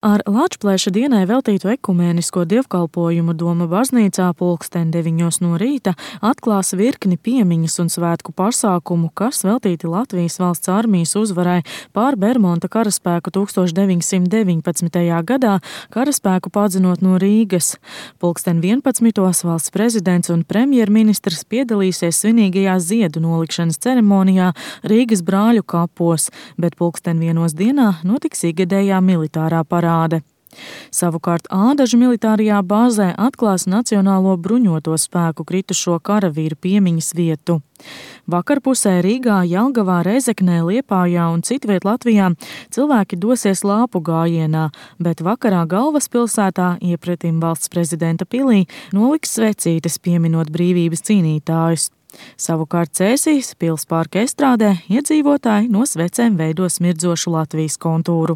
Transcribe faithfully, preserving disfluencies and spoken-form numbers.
Ar Lāčplēša dienai veltītu ekumēnisko dievkalpojumu Doma baznīcā pulksten deviņos no rīta atklās virkni piemiņas un svētku pasākumu, kas veltīti Latvijas valsts armijas uzvarai pār Bermonta karaspēku tūkstoš deviņsimt deviņpadsmitajā gadā, karaspēku padzinot no Rīgas. Pulksten vienpadsmitos valsts prezidents un premjerministrs piedalīsies svinīgajā ziedu nolikšanas ceremonijā Rīgas Brāļu kapos, bet pulksten vienos dienā notiks ikgadējā militārā parāde. Savukārt Ādažu militārajā bāzē atklās Nacionālo bruņoto spēku kritušo karavīru piemiņas vietu. Vakarpusē Rīgā, Jelgavā, Rezeknē, Liepājā un citviet Latvijā cilvēki dosies lāpu gājienā, bet vakarā galvaspilsētā iepretim valsts prezidenta pilī noliks svecītes pieminot brīvības cīnītājus. Savukārt Cēsīs pils parka estrādē iedzīvotāji no svecēm veido smirdzošu Latvijas kontūru.